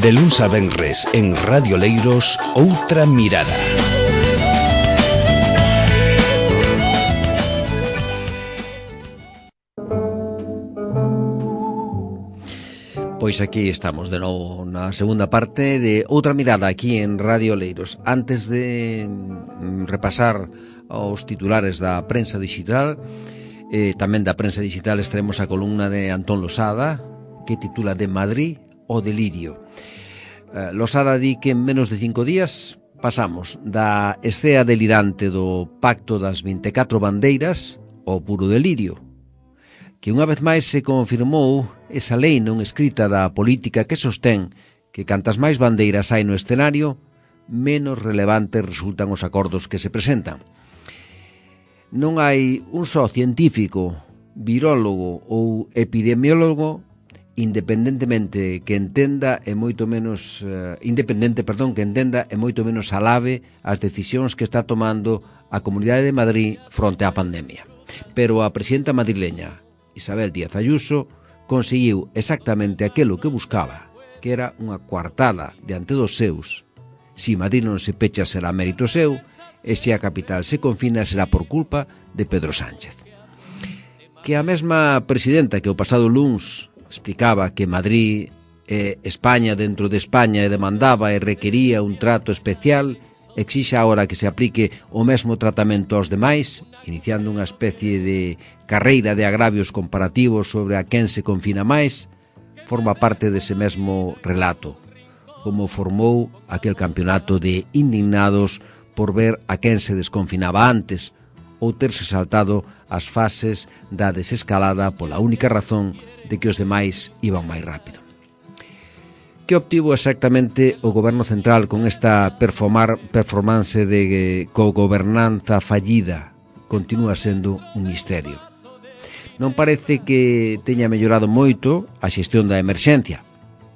De luns a venres en Radio Leiros, Outra Mirada. Pois aquí estamos de novo na segunda parte de Outra Mirada aquí en Radio Leiros. Antes de repasar os titulares da prensa digital, tamén da prensa digital extraemos a columna de Antón Losada, que titula De Madrid o delirio. Losada di que en menos de 5 días pasamos da escea delirante do Pacto das 24 bandeiras ao puro delirio, que unha vez máis se confirmou esa lei non escrita da política que sostén que cantas máis bandeiras hai no escenario, menos relevantes resultan os acordos que se presentan. Non hai un só científico, virólogo ou epidemiólogo independentemente que entenda e moito menos alabe as decisións que está tomando a Comunidade de Madrid fronte á pandemia. Pero a presidenta madrileña, Isabel Díaz Ayuso, conseguiu exactamente aquilo que buscaba, que era unha coartada diante dos seus. Si Madrid non se pecha será mérito seu, e se a capital se confina será por culpa de Pedro Sánchez. Que a mesma presidenta que o pasado luns explicaba que Madrid e España dentro de España e demandaba e requería un trato especial, exixa agora que se aplique o mesmo tratamento aos demais, iniciando unha especie de carreira de agravios comparativos sobre a quen se confina máis, forma parte dese mesmo relato, como formou aquel campeonato de indignados por ver a quen se desconfinaba antes, ou terse saltado as fases da desescalada pola única razón de que os demais iban máis rápido. Que obtivo exactamente o Goberno Central con esta performance de cogobernanza fallida? Continúa sendo un misterio. Non parece que teña mellorado moito a xestión da emerxencia,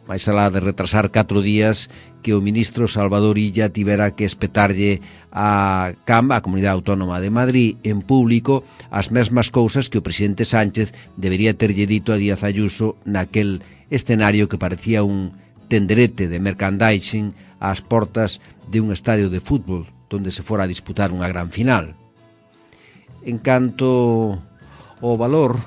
máis alá de retrasar 4 días que o ministro Salvador Illa tivera que espetarlle a Comunidade Autónoma de Madrid en público as mesmas cousas que o presidente Sánchez debería terlle dito a Díaz Ayuso naquel escenario que parecía un tenderete de merchandising ás portas de un estadio de fútbol donde se fora a disputar unha gran final. En canto ao valor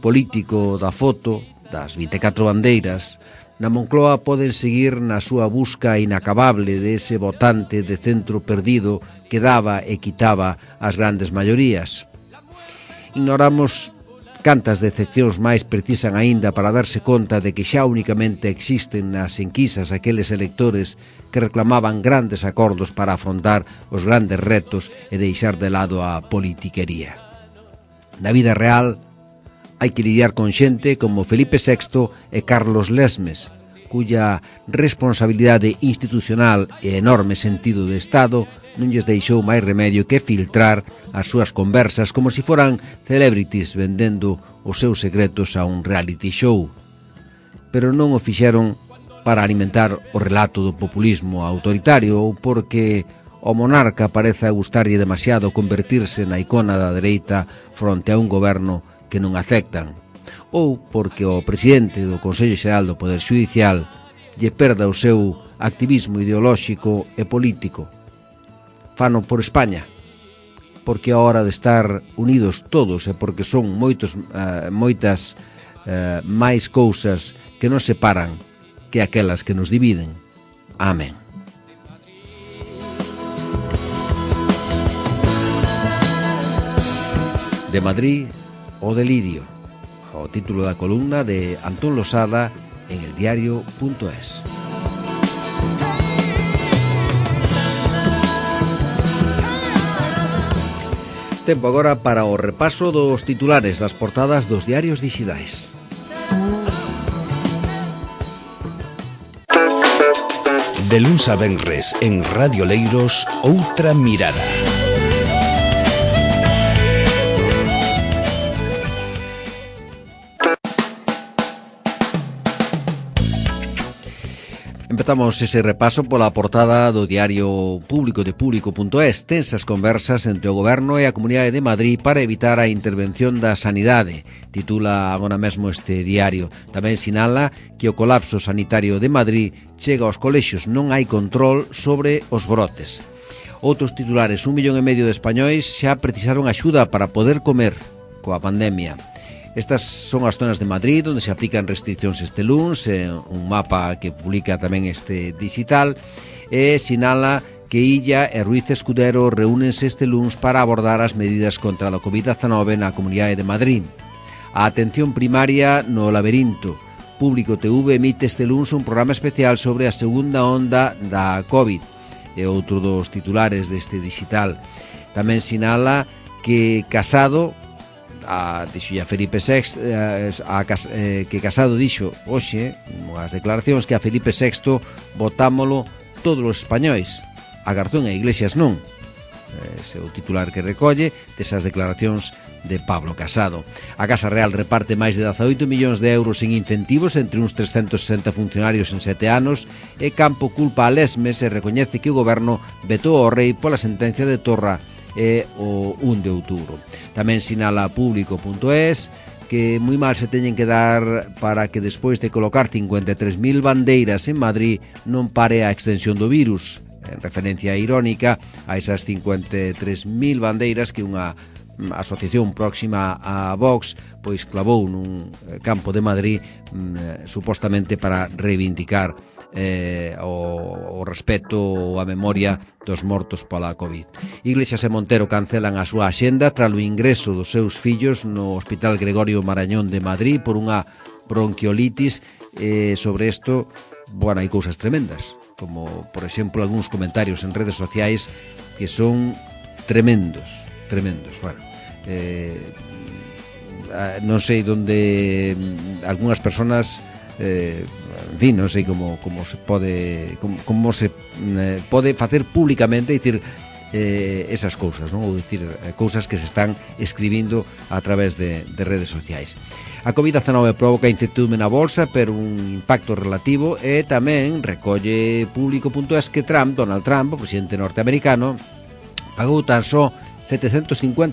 político da foto das 24 bandeiras, na Moncloa poden seguir na súa busca inacabable de ese votante de centro perdido que daba e quitaba as grandes maiorías. Ignoramos cantas decepcións máis precisan aínda para darse conta de que xa únicamente existen nas enquisas aqueles electores que reclamaban grandes acordos para afrontar os grandes retos e deixar de lado a politiquería. Na vida real, hai que lidiar con xente como Felipe VI e Carlos Lesmes, cuya responsabilidade institucional e enorme sentido de Estado non lles deixou máis remedio que filtrar as súas conversas como se foran celebrities vendendo os seus secretos a un reality show. Pero non o fixeron para alimentar o relato do populismo autoritario ou porque o monarca parece gustarlle demasiado convertirse na icona da dereita fronte a un goberno que non aceptan, ou porque o presidente do Consello Xeral do Poder Xudicial lle perda o seu activismo ideolóxico e político. Fano por España, porque a hora de estar unidos todos e porque son moitas máis cousas que nos separan que aquelas que nos dividen. Amén. De Madrid o delirio, o título da columna de Antón Losada en eldiario.es. Tempo agora para o repaso dos titulares das portadas dos diarios dixitais. De luns a venres en Radio Leiros, Outra Mirada. Empezamos ese repaso pola portada do diario público de público.es. Tensas conversas entre o Goberno e a Comunidade de Madrid para evitar a intervención da sanidade, titula agora mesmo este diario. Tamén sinala que o colapso sanitario de Madrid chega aos colexios, non hai control sobre os brotes. Outros titulares, 1,5 millón de españois xa precisaron axuda para poder comer coa pandemia. Estas son as zonas de Madrid onde se aplican restriccións este luns, un mapa que publica tamén este digital, e sinala que Illa e Ruiz Escudero reúnense este luns para abordar as medidas contra a COVID-19 na Comunidade de Madrid. A atención primaria no laberinto. Público TV emite este luns un programa especial sobre a segunda onda da COVID. É outro dos titulares deste digital. Tamén sinala que Casado... dixo a Felipe VI que Casado dixo hoxe as declaracións que a Felipe VI votámolo todos os españois, a Garzón e Iglesias non. Ese é o titular que recolle desas declaracións de Pablo Casado. A Casa Real reparte máis de 18 millóns de euros en incentivos entre uns 360 funcionarios en 7 anos e Campo culpa a Lesmes e recoñece que o goberno vetou ao rei pola sentencia de Torra e o 1 de outubro. Tamén sinala público.es que moi mal se teñen que dar para que despois de colocar 53.000 bandeiras en Madrid non pare a extensión do virus, en referencia irónica a esas 53.000 bandeiras que unha asociación próxima a Vox pois clavou nun campo de Madrid supostamente para reivindicar o respeto ou a memoria dos mortos pola COVID. Iglesias e Montero cancelan a súa axenda tras o ingreso dos seus fillos no Hospital Gregorio Marañón de Madrid por unha bronquiolitis. Sobre isto, bueno, hai cousas tremendas, como, por exemplo, algúns comentarios en redes sociais que son tremendos. Bueno, non sei onde algunhas persoas en fin, non sei como se pode facer públicamente, dicir esas cousas, non? Ou dicir cousas que se están escribindo a través de redes sociais. A COVID-19 provoca incertidumbre na bolsa pero un impacto relativo, e tamén recolle público.es que Donald Trump, o presidente norteamericano, pagou tan só $750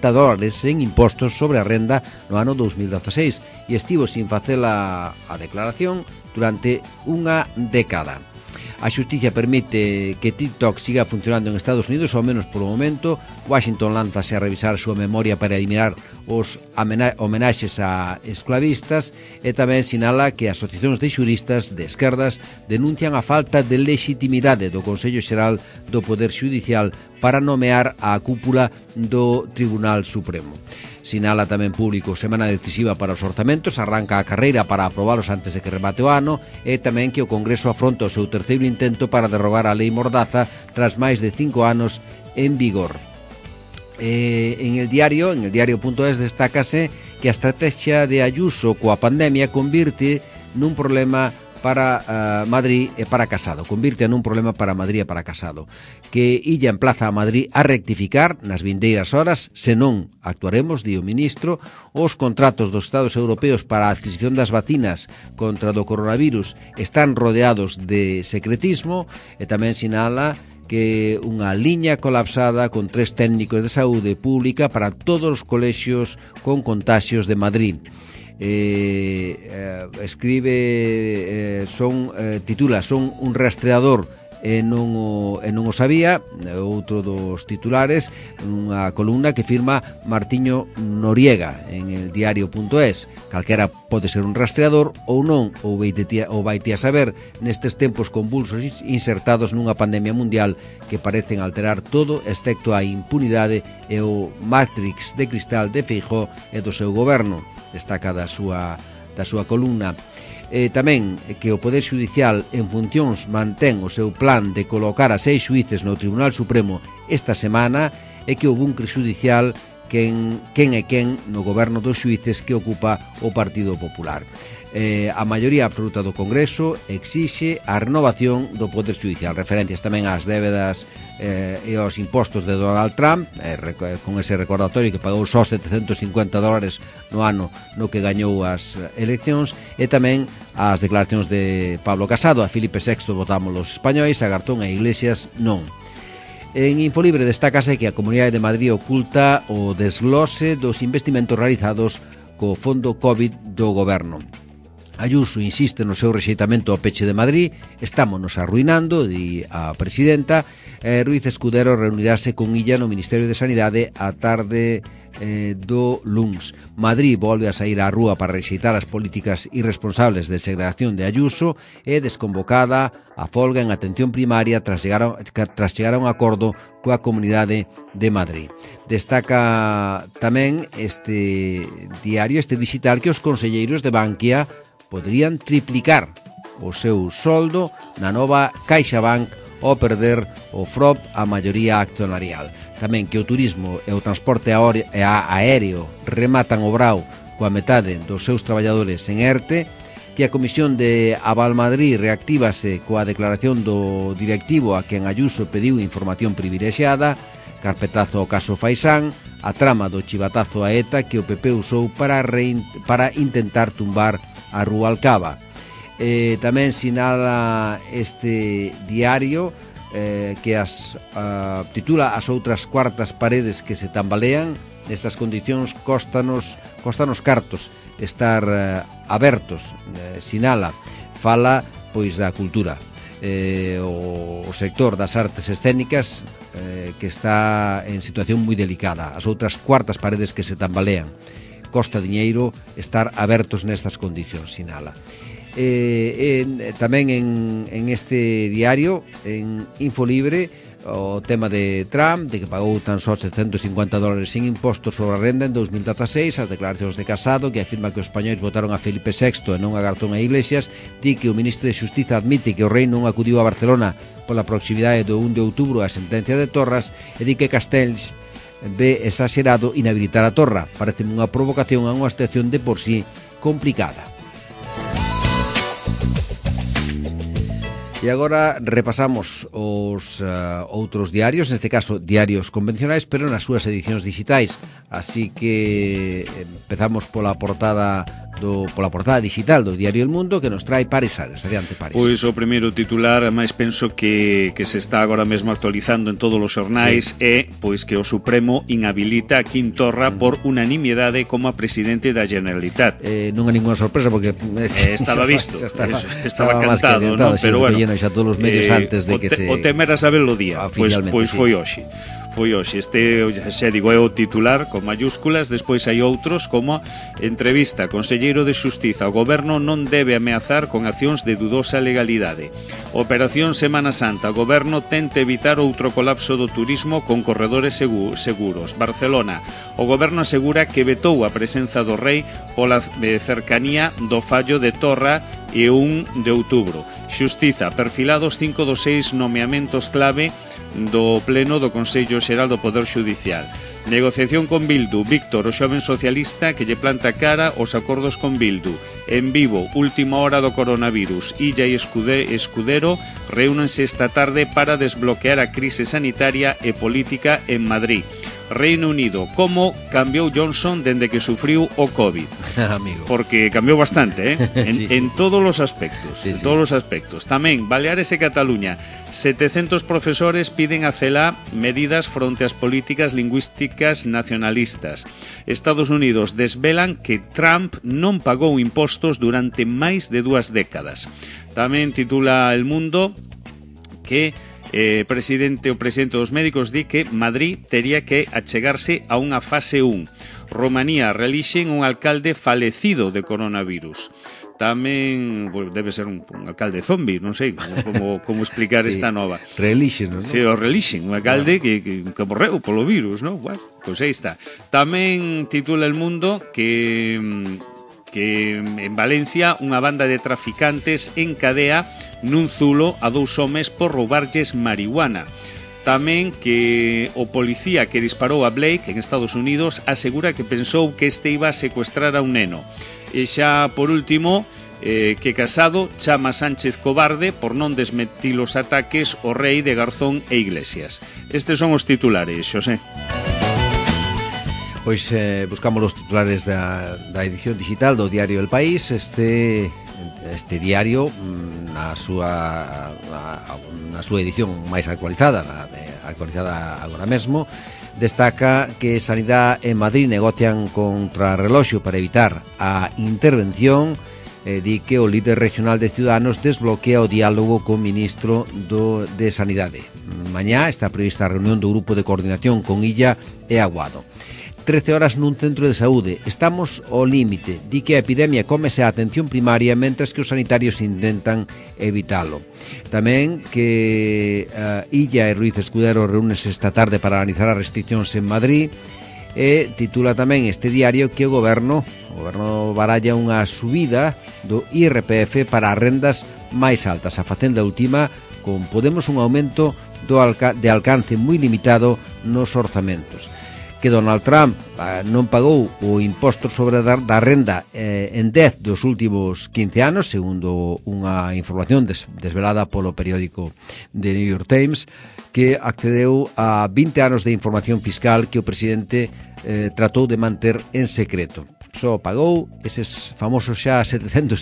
en impostos sobre a renda no ano 2016 e estivo sin facer a declaración durante unha década. A xustiza permite que TikTok siga funcionando en Estados Unidos, ao menos polo momento. Washington lánzase a revisar a súa memoria para eliminar os homenaxes a esclavistas, e tamén sinala que asociacións de xuristas de esquerdas denuncian a falta de legitimidade do Consello Xeral do Poder Xudicial para nomear a cúpula do Tribunal Supremo. Sinala tamén público, semana decisiva para os orzamentos, arranca a carreira para aprobalos antes de que remate o ano, e tamén que o Congreso afronta o seu terceiro intento para derrogar a Lei Mordaza tras máis de 5 anos en vigor. En el diario.es destácase que a estrategia de Ayuso coa pandemia convirte nun problema para Madrid e para Casado. Convirte nun problema para Madrid e para Casado. Que Illa emplaza a Madrid a rectificar nas vindeiras horas, senón actuaremos, di o ministro. Os contratos dos Estados europeos para a adquisición das vacinas contra o coronavirus están rodeados de secretismo, e tamén sinala que unha liña colapsada con 3 técnicos de saúde pública para todos os colexios con contaxios de Madrid. Titula son un rastreador e non o sabía. Outro dos titulares, unha columna que firma Martiño Noriega en el diario.es. Calquera pode ser un rastreador ou non, ou vaite a saber nestes tempos convulsos insertados nunha pandemia mundial que parecen alterar todo excepto a impunidade e o Matrix de cristal de Feijóo e do seu goberno. Destaca da súa columna. Tamén que o Poder Xudicial en funcións mantén o seu plan de colocar a 6 xuíces no Tribunal Supremo esta semana, e que o bunkre xudicial quen é quen no goberno dos xuíces que ocupa o Partido Popular. A maioría absoluta do Congreso exixe a renovación do Poder Xudicial. Referencias tamén ás débedas e aos impostos de Donald Trump, con ese recordatorio que pagou só $750 no ano no que gañou as eleccións, e tamén as declaracións de Pablo Casado. A Filipe VI votamos os españois, a Garzón e Iglesias non. En Infolibre destácase que a Comunidade de Madrid oculta o desglose dos investimentos realizados co Fondo COVID do Goberno. Ayuso insiste no seu rexeitamento ao peche de Madrid. Estámonos arruinando, di a presidenta. Ruiz Escudero reunirase con Illa no Ministerio de Sanidade a tarde do luns. Madrid volve a sair á rúa para rexeitar as políticas irresponsables de segregación de Ayuso e desconvocada a folga en atención primaria tras chegar a un acordo coa Comunidade de Madrid. Destaca tamén este diario, este digital, que os conselleiros de Bankia poderían triplicar o seu soldo na nova CaixaBank ao perder o FROB a maioría accionarial. Tamén que o turismo e o transporte aéreo rematan o brao coa metade dos seus traballadores en ERTE, que a Comisión de Aval Madrid reactívase coa declaración do directivo a quen Ayuso pediu información privilexiada, carpetazo ao caso Faisán, a trama do chivatazo a ETA que o PP usou para intentar tumbar a Rubalcaba. Tamén sinala este diario que titula As outras cuartas paredes que se tambalean. Nestas condicións costanos cartos estar abertos, sinala. Fala pois da cultura, o sector das artes escénicas que está en situación moi delicada. As outras cuartas paredes que se tambalean. Costa diñeiro estar abertos nestas condicións, sinala. Tamén en este diario, en Infolibre, o tema de Trump, de que pagou tan só $750 sin impostos sobre a renda en 2016, as declaracións de Casado, que afirma que os españois votaron a Filipe VI e non a Garzón e Iglesias, di que o ministro de Xustiza admite que o rei non acudiu a Barcelona pola proximidade do 1 de outubro a sentencia de Torras, e di que Castells ve exagerado inhabilitar a Torra. Parece unha provocación a unha situación de por sí complicada. E agora repasamos os outros diarios, neste caso diarios convencionais, pero nas súas edicións digitais. Así que empezamos pola portada digital do diario El Mundo, que nos trae Pares Ares. Adiante, Pares. Pois o primeiro titular, máis penso que se está agora mesmo actualizando en todos os xornais, é pois que o Supremo inhabilita a Quim Torra por unanimidade como a presidente da Generalitat. Non é ninguna sorpresa, porque estaba visto, estaba cantado, ¿no? Pero bueno, xa todos os medios antes de que se... O tema era saberlo o día, pois foi hoxe. Este, xa digo, é o titular con mayúsculas. Despois hai outros como entrevista, conselleiro de Xustiza, o goberno non debe ameazar con accións de dudosa legalidade. Operación Semana Santa, o goberno tenta evitar outro colapso do turismo con corredores seguros. Barcelona, o goberno asegura que vetou a presenza do rei pola cercanía do fallo de Torra e 1 de outubro. Xustiza, perfilados 5 dos 6 nomeamentos clave do Pleno do Consello Xeral do Poder Xudicial. Negociación con Bildu, Víctor, o xoven socialista que lle planta cara aos acordos con Bildu. En Vivo, última hora do coronavirus. Illa e Escudero reúnense esta tarde para desbloquear a crise sanitaria e política en Madrid. Reino Unido, como cambiou Johnson dende que sufriu o COVID. Amigo. Porque cambiou bastante, sí. En todos os aspectos. Sí. Todos os aspectos. Tamén, Baleares e Cataluña. 700 profesores piden a CELA medidas fronte ás políticas lingüísticas nacionalistas. Estados Unidos desvelan que Trump non pagou impostos durante máis de 2 décadas. Tamén titula El Mundo que o presidente dos médicos di que Madrid tería que achegarse a unha fase 1. Romanía, relixen un alcalde falecido de coronavirus. Tamén, pues, debe ser un alcalde zombi, non sei como explicar sí, esta nova. Relixen, non? Sí, o relixen, un alcalde que morreu polo virus, non? Bueno, pois aí está. Tamén titula El Mundo que en Valencia unha banda de traficantes encadea nun zulo a 2 homes por roubarlles marihuana. tamén que o policía que disparou a Blake en Estados Unidos asegura que pensou que este iba a secuestrar a un neno. E xa, por último, que Casado chama Sánchez cobarde por non desmentir os ataques ao rei de Garzón e Iglesias. Estes son os titulares, Xosé. Pois buscamos os titulares da edición digital do diario El País. Este diario na súa edición máis actualizada, actualizada agora mesmo, destaca que Sanidade en Madrid negocian contrarreloxo para evitar a intervención. Di que o líder regional de Ciudadanos desbloquea o diálogo co ministro de Sanidade. Mañá está prevista a reunión do grupo de coordinación con Illa e Aguado. 13 horas nun centro de saúde. Estamos ao límite. Di que a epidemia cómese a atención primaria mentres que os sanitarios intentan evitalo. Tamén que Illa e Ruiz Escudero reúnense esta tarde para analizar as restriccións en Madrid. E titula tamén este diario que o goberno baralla unha subida do IRPF para as rendas máis altas. A Facenda ultima con Podemos un aumento de alcance moi limitado nos orzamentos. Que Donald Trump non pagou o imposto sobre da renda en 10 dos últimos 15 anos, segundo unha información desvelada polo periódico The New York Times, que accedeu a 20 anos de información fiscal que o presidente tratou de manter en secreto. Só pagou eses famosos xa $750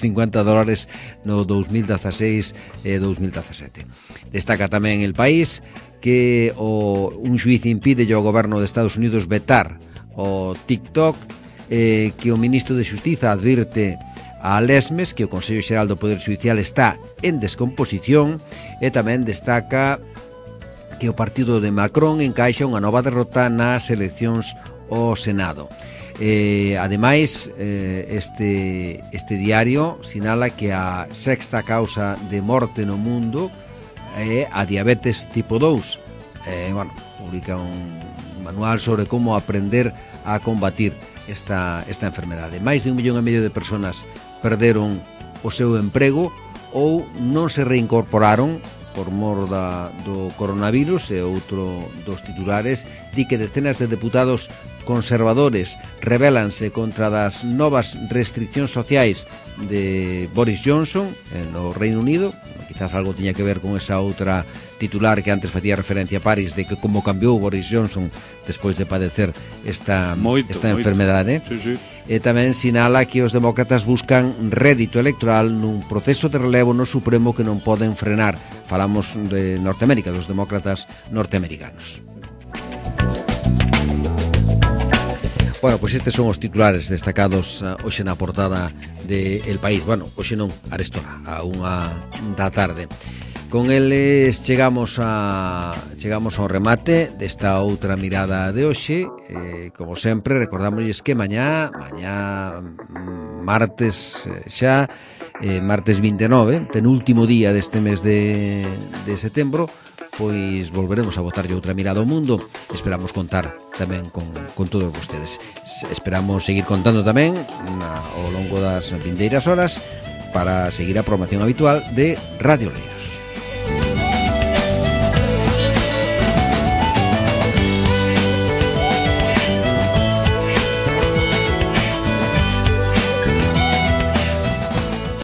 no 2016 e 2017. Destaca tamén El País que un xuiz impide ao goberno de Estados Unidos vetar o TikTok, que o ministro de Xustiza advirte a Lesmes que o Consello Xeral do Poder Xudicial está en descomposición, e tamén destaca que o partido de Macron encaixa unha nova derrota nas eleccións ao Senado. Ademais, este diario sinala que a sexta causa de morte no mundo é a diabetes tipo 2. Publica un manual sobre como aprender a combatir esta enfermedade. Máis de 1,5 millón de persoas perderon o seu emprego ou non se reincorporaron por mor do coronavirus. E outro dos titulares di que decenas de deputados conservadores rebelanse contra das novas restriccións sociais de Boris Johnson no Reino Unido. Quizás algo tiña que ver con esa outra titular que antes facía referencia a París, de que como cambiou Boris Johnson despois de padecer esta enfermedade. Sí. E tamén sinala que os demócratas buscan rédito electoral nun proceso de relevo no Supremo que non poden frenar. Falamos de Norteamérica, dos demócratas norteamericanos. Bueno, pois estes son os titulares destacados hoxe na portada de El País. Bueno, hoxe non, arestora, a 1 da tarde. Con eles chegamos ao remate desta outra mirada de hoxe. Como sempre, recordámosles que mañá martes martes 29, penúltimo día deste mes de setembro, pois volveremos a botarlle outra mirada ao mundo. Esperamos contar tamén con todos vostedes. Esperamos seguir contando tamén ao longo das vindeiras horas para seguir a programación habitual de Radio Leira.